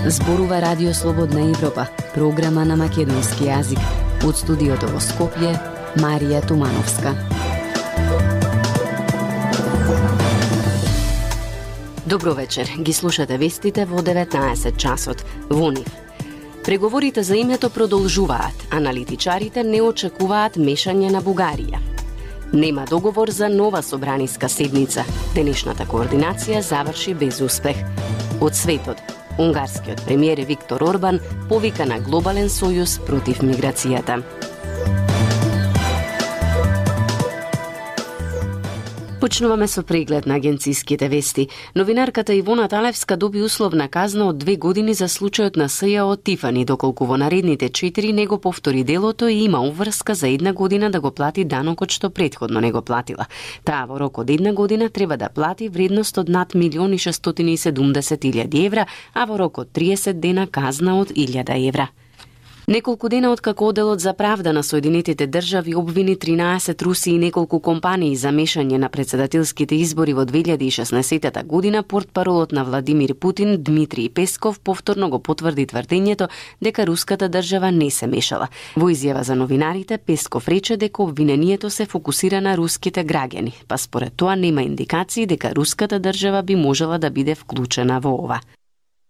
Зборува Радио Слободна Европа, програма на македонски јазик. Од студиото во Скопје, Марија Тумановска. Добро вечер, ги слушате вестите во 19 часот. Во нив. Преговорите за името продолжуваат, аналитичарите не очекуваат мешање на Бугарија. Нема договор за нова собраниска седница. Денешната координација заврши без успех. Од светот, унгарскиот премиер Виктор Орбан повика на глобален сојуз против миграцијата. Почнуваме со преглед на агенциските вести. Новинарката Ивона Талевска доби условна казна од 2 години за случајот на СЈО Тифани, доколку во наредните 4 не го повтори делото и има уврска за 1 година да го плати данокот што претходно не го платила. Таа во рок од 1 година треба да плати вредност од над 1.670.000 евра, а во рок од 30 дена казна од 1.000 евра. Неколку дена откако Оделот за правда на Соединетите држави обвини 13 руси и неколку компании за мешање на председателските избори во 2016 година, портпаролот на Владимир Путин Дмитрий Песков повторно го потврди тврдењето дека руската држава не се мешала. Во изјава за новинарите, Песков рече дека обвинението се фокусира на руските граѓани, па според тоа нема индикации дека руската држава би можела да биде вклучена во ова.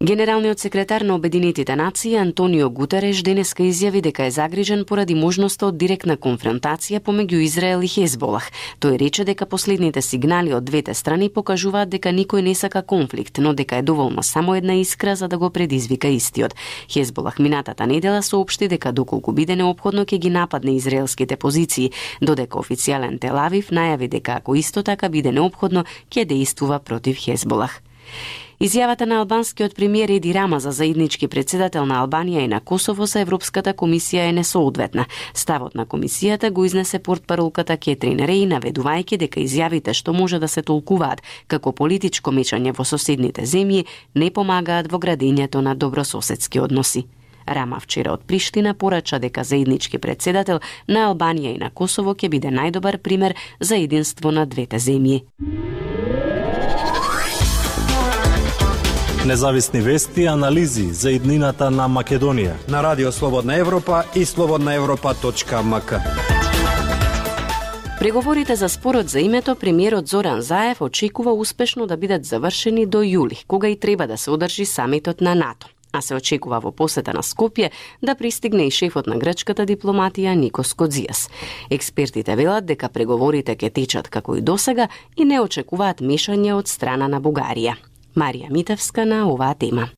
Генералниот секретар на Обединетите нации Антонио Гутереш денеска изјави дека е загрижен поради можноста од директна конфронтација помеѓу Израел и Хезболах. Тој рече дека последните сигнали од двете страни покажуваат дека никој не сака конфликт, но дека е доволно само една искра за да го предизвика истиот. Хезболах минатата недела соопшти дека доколку биде неопходно ќе ги нападне израелските позиции, додека официјален Тел Авив најави дека ако исто така биде неопходно ќе дејствува против Хезболах. Изјавата на албанскиот премиер Еди Рама за заеднички председател на Албанија и на Косово за Европската комисија е несоодветна. Ставот на комисијата го изнесе портпаролката Кетрин Реј, наведувајќи дека изјавите што може да се толкуваат како политичко мешање во соседните земји не помагаат во градењето на добрососедски односи. Рама вчера од Приштина порача дека заеднички председател на Албанија и на Косово ќе биде најдобар пример за единство на двете земји. Независни вести и анализи за иднината на Македонија на Радио Слободна Европа и slobodnaevropa.mk. Преговорите за спорот за името премиерот Зоран Заев очекува успешно да бидат завршени до јули, кога и треба да се одржи самитот на НАТО. А се очекува во посета на Скопје да пристигне и шефот на грчката дипломатија Никос Кодзијас. Експертите велат дека преговорите ќе течат како и досега и не очекуваат мешање од страна на Бугарија. Марија Митевска на оваа тема.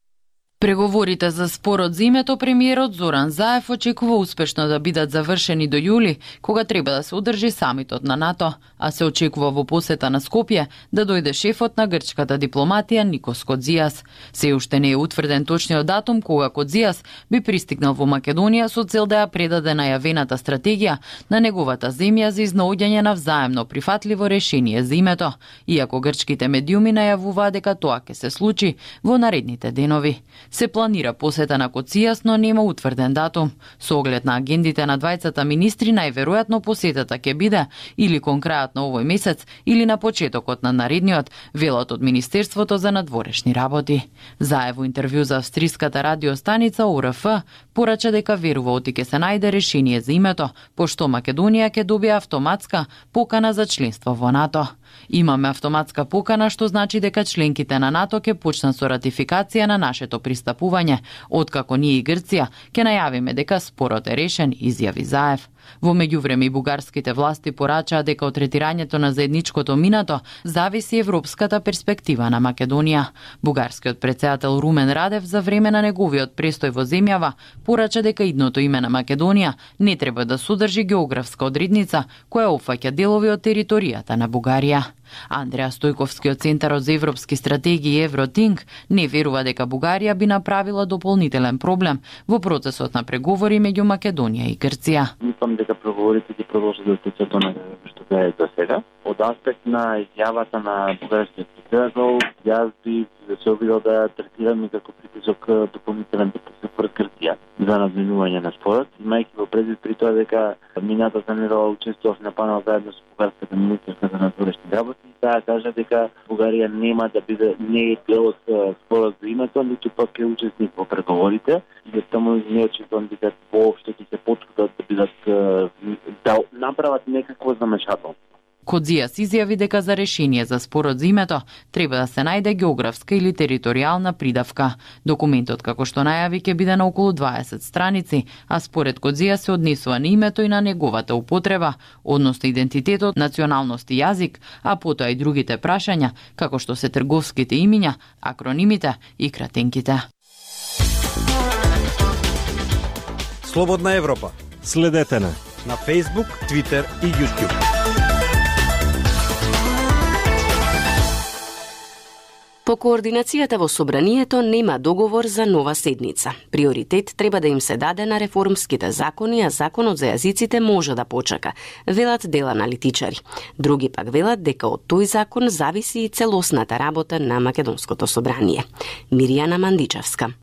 Преговорите за спорот за името премиерот Зоран Заев очекува успешно да бидат завршени до јули, кога треба да се одржи самитот на НАТО, а се очекува во посета на Скопје да дојде шефот на грчката дипломатија Никос Кодзијас. Се уште не е утврден точниот датум кога Кодзијас би пристигнал во Македонија со цел да ја предаде најавената стратегија на неговата земја за изнаоѓање на взаемно прифатливо решение за името, иако грчките медиуми најавуваат дека тоа ќе се случи во наредните денови. Се планира посета на Кодзијас, но нема утврден датум. Со оглед на агендите на двајцата министри, најверојатно посетата ќе биде или кон крајот на овој месец, или на почетокот на наредниот, велат од Министерството за надворешни работи. Заев во интервју за австриската радиостаница ОРФ порача дека верува оти ќе се најде решение за името, пошто Македонија ќе добие автоматска покана за членство во НАТО. Имаме автоматска покана, што значи дека членките на НАТО ќе почнат со ратификација на нашето пристапување, откако ние и Грција ќе најавиме дека спорот е решен, изјави Заев. Во меѓувреме и бугарските власти порачаа дека од третирањето на заедничкото минато зависи европската перспектива на Македонија. Бугарскиот претседател Румен Радев за време на неговиот престој во земјава порача дека идното име на Македонија не треба да содржи географска одредница која опфаќа делови од територијата на Бугарија. Андреа Стојковски од Центарот за европски стратегии Евротинг не верува дека Бугарија би направила дополнителен проблем во процесот на преговори меѓу Македонија и Грција. Мислам дека преговорите ќе продолжат да течат до најдобро што е до сега. Од аспект на изјавата на бугарскиот председател, јас би се обидел да ја третирам и како притисок, дополнителен притисок врз Грција за надминување на спорот, имајќи во предвид при тоа дека минатата недела учествував на панел заедно со бугарската министерка за надворешни работи и таа кажа дека Бугарија нема да биде не е дел од спорот за името, ниту пак е учесник во преговорите и таму не очекувам дека воопшто ќе се потрудат да бидат да направат некакво замешателство. Кодзијас изјави дека за решение за спорот за името треба да се најде географска или територијална придавка. Документот, како што најави, ќе биде на околу 20 страници, а според Кодзијас се однесува на името и на неговата употреба, односно идентитетот, националност и јазик, а потоа и другите прашања, како што се трговските имиња, акронимите и кратенките. Слободна Европа. Следете на Facebook, Twitter и YouTube. По координацијата во Собранието нема договор за нова седница. Приоритет треба да им се даде на реформските закони, а законот за јазиците може да почека, велат дел аналитичари. Други пак велат дека од тој закон зависи и целосната работа на Македонското собрание. Миријана Мандичевска.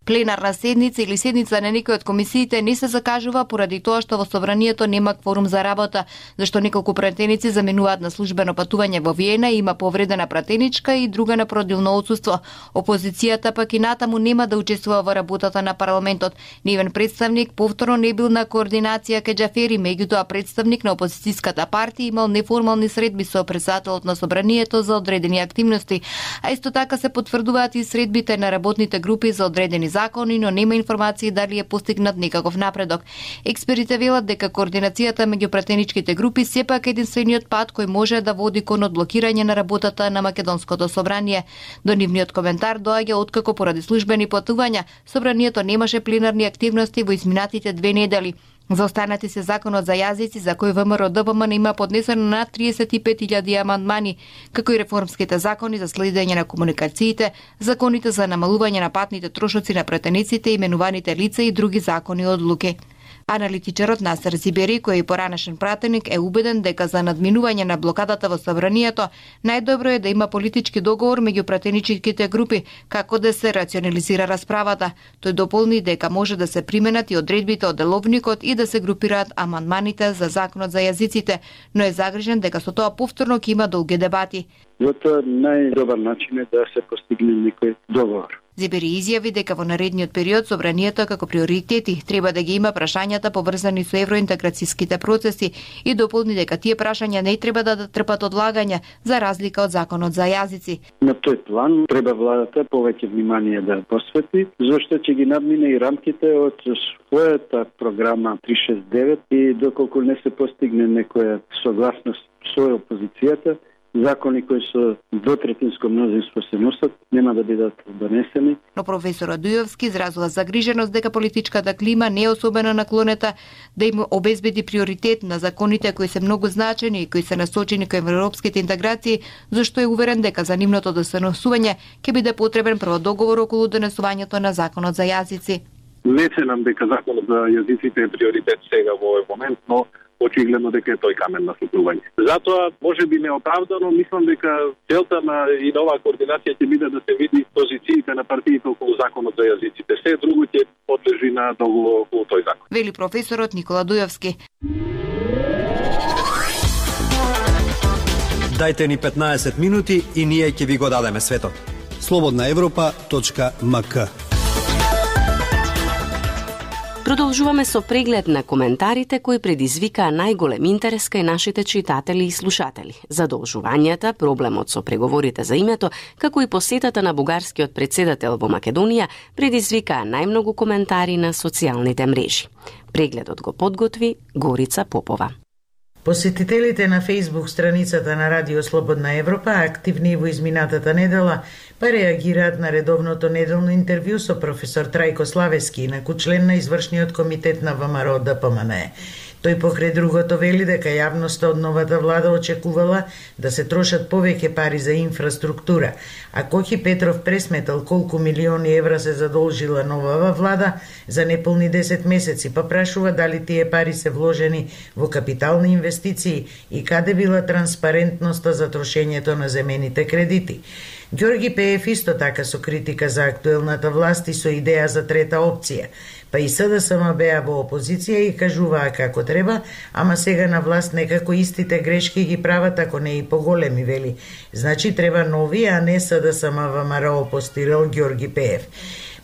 Пленарна седница или седница на некој од комисиите не се закажува поради тоа што во Собранието нема кворум за работа, зашто неколку пратеници заменуваат на службено патување во Виена и има повредена пратеничка и друга на породилно отсуство. Опозицијата пак и натаму нема да учествува во работата на парламентот. Нивен представник повторно не бил на координација кај Џафери, меѓутоа представник на опозицијската партија имал неформални средби со председателот на Собранието за одредени активности, а исто така се потврдуваат и средбите на работните групи за одредени закони, но нема информации дали е постигнат некаков напредок. Експерите велат дека координацијата меѓу пратеничките групи сепак е единствениот пат кој може да води кон одблокирање на работата на Македонското собрание. До нивниот коментар доаѓа откако поради службени патувања собранието немаше пленарни активности во изминатите 2 недели. За останати се законот за јазици, за кој ВМРО ДПМН има поднесено над 35.000 амандмани, како и реформските закони за следење на комуникациите, законите за намалување на патните трошоци на пратениците, именуваните лица и други закони и одлуки. Аналитичарот Насер Зибери, кој е поранешен пратеник, е убеден дека за надминување на блокадата во собранието најдобро е да има политички договор меѓу пратеничките групи како да се рационализира расправата. Тој дополни дека може да се применат и одредбите од деловникот и да се групираат амандманите за законот за јазиците, но е загрижен дека со тоа повторно ќе има долги дебати. Тоа најдобар начин е да се постигне некој договор. Зибери изјави дека во наредниот период собранието како приоритети треба да ги има прашањата поврзани со евроинтеграцијските процеси и дополни дека тие прашања не треба да трпат одлагање за разлика од законот за јазици. На тој план треба владата повеќе внимание да посвети, зашто ќе ги надмине и рамките од својата програма 369 и доколку не се постигне некоја согласност со опозицијата, закони кои со двотретинско мнозинство се носат нема да бидат донесени. Но професорот Дујовски изразува загриженост дека политичката клима не е особено наклонета да им обезбеди приоритет на законите кои се многу значени и кои се насочени кон европските интеграции, зашто е уверен дека за нивното донесување ќе биде потребен прво договор околу донесувањето на законот за јазици. Не ценам дека законот за јазиците е приоритет сега во овој момент, но очигледно дека е тој камен на стапување. Затоа, може би неоправдано, мислам дека целта на и нова координација ќе биде да се види позициите на партиите околу законот за јазиците. Се друго ќе подлежи на договор околу тој закон. Вели професорот Никола Дујовски. Дајте ни 15 минути и ние ќе ви го дадеме светот. slobodnaevropa.mk. Продолжуваме со преглед на коментарите кои предизвикаа најголем интерес кај нашите читатели и слушатели. Задолжувањата, проблемот со преговорите за името, како и посетата на бугарскиот председател во Македонија предизвикаа најмногу коментари на социјалните мрежи. Прегледот го подготви Горица Попова. Посетителите на Facebook страницата на Радио Слободна Европа, активни во изминатата недела, па реагираат на редовното неделно интервју со професор Трајко Славески, инаку член на извршниот комитет на ВМРО ДПМН. Тој покрај другото вели дека јавноста од новата влада очекувала да се трошат повеќе пари за инфраструктура, а Кохи Петров пресметал колку милиони евра се задолжила новава влада за неполни 10 месеци, па прашува дали тие пари се вложени во капитални инвестиции и каде била транспарентноста за трошењето на земените кредити. Ѓорги Пеев исто така со критика за актуелната власт и со идеја за трета опција, па и СДСМ беа во опозиција и кажуваа како треба, ама сега на власт некако истите грешки ги прават, ако не и поголеми, вели. Значи треба нови, а не СДСМ ВМРО, постирал Ѓорги Пеев.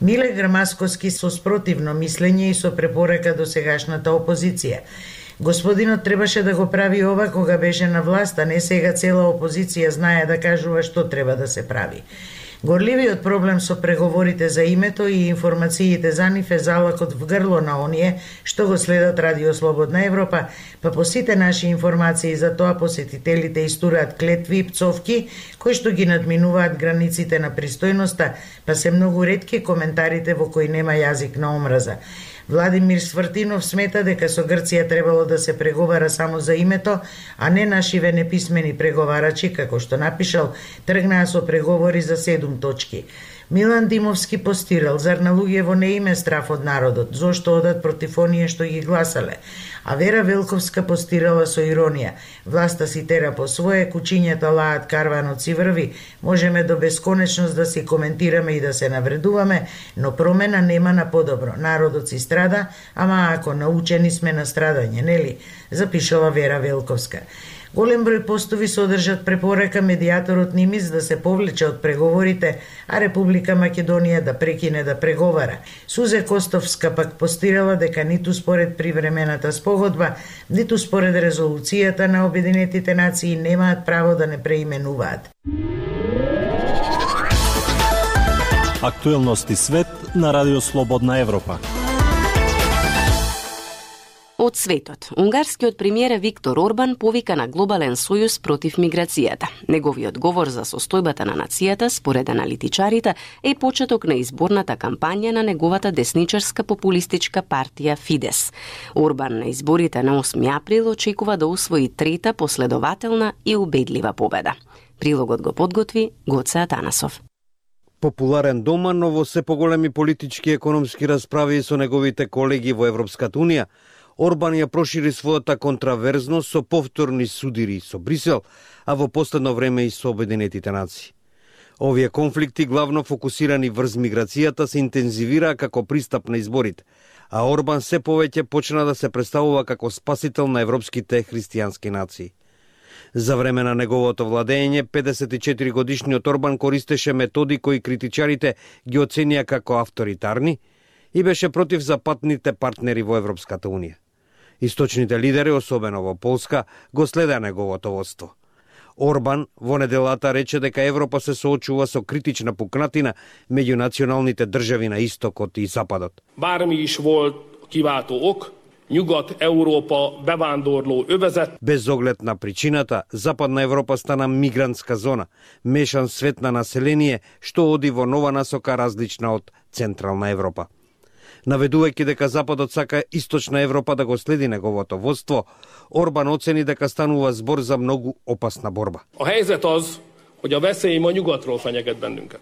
Миле Грамасковски со спротивно мислење и со препорака до сегашната опозиција. Господинот требаше да го прави ова кога беше на власт, а не сега цела опозиција знае да кажува што треба да се прави. Горливиот проблем со преговорите за името и информациите за нив е залакот в грло на оние што го следат Радио Слободна Европа, па по сите наши информации за тоа посетителите истураат клетви и пцовки кои што ги надминуваат границите на пристојноста, па се многу ретки коментарите во кои нема јазик на омраза. Владимир Свртинов смета дека со Грција требало да се преговара само за името, а не нашиве неписмени преговарачи, како што напишал, тргнаа со преговори за 7 точки. Милан Димовски постирал, зар на луѓево не име страф од народот, зошто одат против оние што ги гласале? А Вера Велковска постирала со иронија, власта си тера по свое, кучињата лаат, карванот си врви, можеме до бесконечност да си коментираме и да се навредуваме, но промена нема на подобро. Народот си страда, ама ако научени сме на страдање, нели? Запишала Вера Велковска. Голем број постови содржат препорака медијаторот Нимиц да се повлече од преговорите, а Република Македонија да прекине да преговара. Сузе Костовска пак постирала дека ниту според привремената спогодба, ниту според резолуцијата на Обединетите нации немаат право да не преименуваат. Актуелности свет на Радио Слободна Европа. Од светот, унгарскиот премиер Виктор Орбан повика на глобален сојуз против миграцијата. Неговиот говор за состојбата на нацијата, според аналитичарите, е почеток на изборната кампања на неговата десничарска популистичка партија Фидес. Орбан на изборите на 8 април очекува да усвои трета последователна и убедлива победа. Прилогот го подготви Гоце Атанасов. Популарен дома, но во се поголеми политички и економски расправи со неговите колеги во Европската Унија, Орбан ја прошири својата контраверзност со повторни судири со Брисел, а во последно време и со Обединетите нации. Овие конфликти, главно фокусирани врз миграцијата, се интензивираа како пристап на изборите, а Орбан се повеќе почна да се представува како спасител на европските христијански нации. За време на неговото владење, 54 годишниот Орбан користеше методи кои критичарите ги оценија како авторитарни и беше против западните партнери во Европската Унија. Источните лидери, особено во Полска, го следеа неговото водство. Орбан во неделата рече дека Европа се соочува со критична пукнатина меѓу националните држави на истокот и западот. Bármi is volt kiváltó ok, Nyugat-Európa bevándorló övezet. Без оглед на причината, Западна Европа стана мигрантска зона, мешан свет на население што оди во нова насока различна од Централна Европа. Наведувајќи дека Западот сака Источна Европа да го следи неговото водство, Орбан оцени дека станува збор за многу опасна борба. A helyzet az, hogy a veszély ma nyugatról fenyeget bennünket.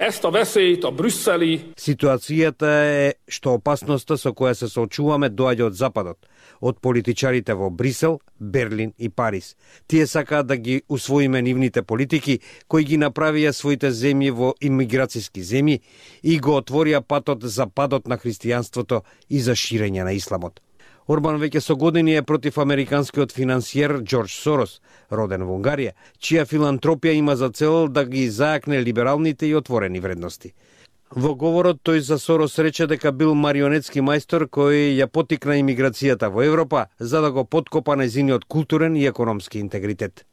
Ezt a veszélyt a brüsszeli... Ситуацијата е што опасноста со која се соочуваме доаѓа од Западот, од политичарите во Брисел, Берлин и Париз. Тие сакаат да ги усвоиме нивните политики, кои ги направија своите земји во имиграцијски земји и го отворија патот за падот на христијанството и за ширење на исламот. Орбан веќе со години е против американскиот финансиер Џорџ Сорос, роден во Унгарија, чија филантропија има за цел да ги зајакне либералните и отворени вредности. Во говорот тој за Сорос рече дека бил марионетски мајстор кој ја потикна имиграцијата во Европа за да го поткопа нејзиниот културен и економски интегритет.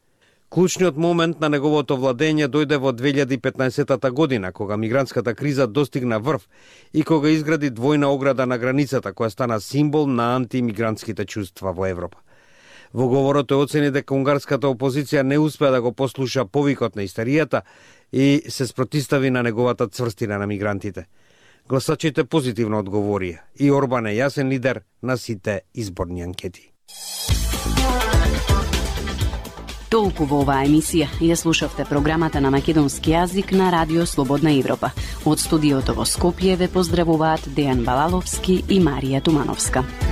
Клучниот момент на неговото владење дојде во 2015 година, кога мигрантската криза достигна врв и кога изгради двојна ограда на границата, која стана символ на антимигрантските чувства во Европа. Во говорот тој оцени дека унгарската опозиција не успеа да го послуша повикот на истеријата и се спротистави на неговата цврстина на мигрантите. Гласачите позитивно одговорија и Орбан е јасен лидер на сите изборни анкети. Толку во оваа емисија. Ја слушавте програмата на македонски јазик на Радио Слободна Европа. Од студиото во Скопје ве поздравуваат Дејан Балаловски и Марија Тумановска.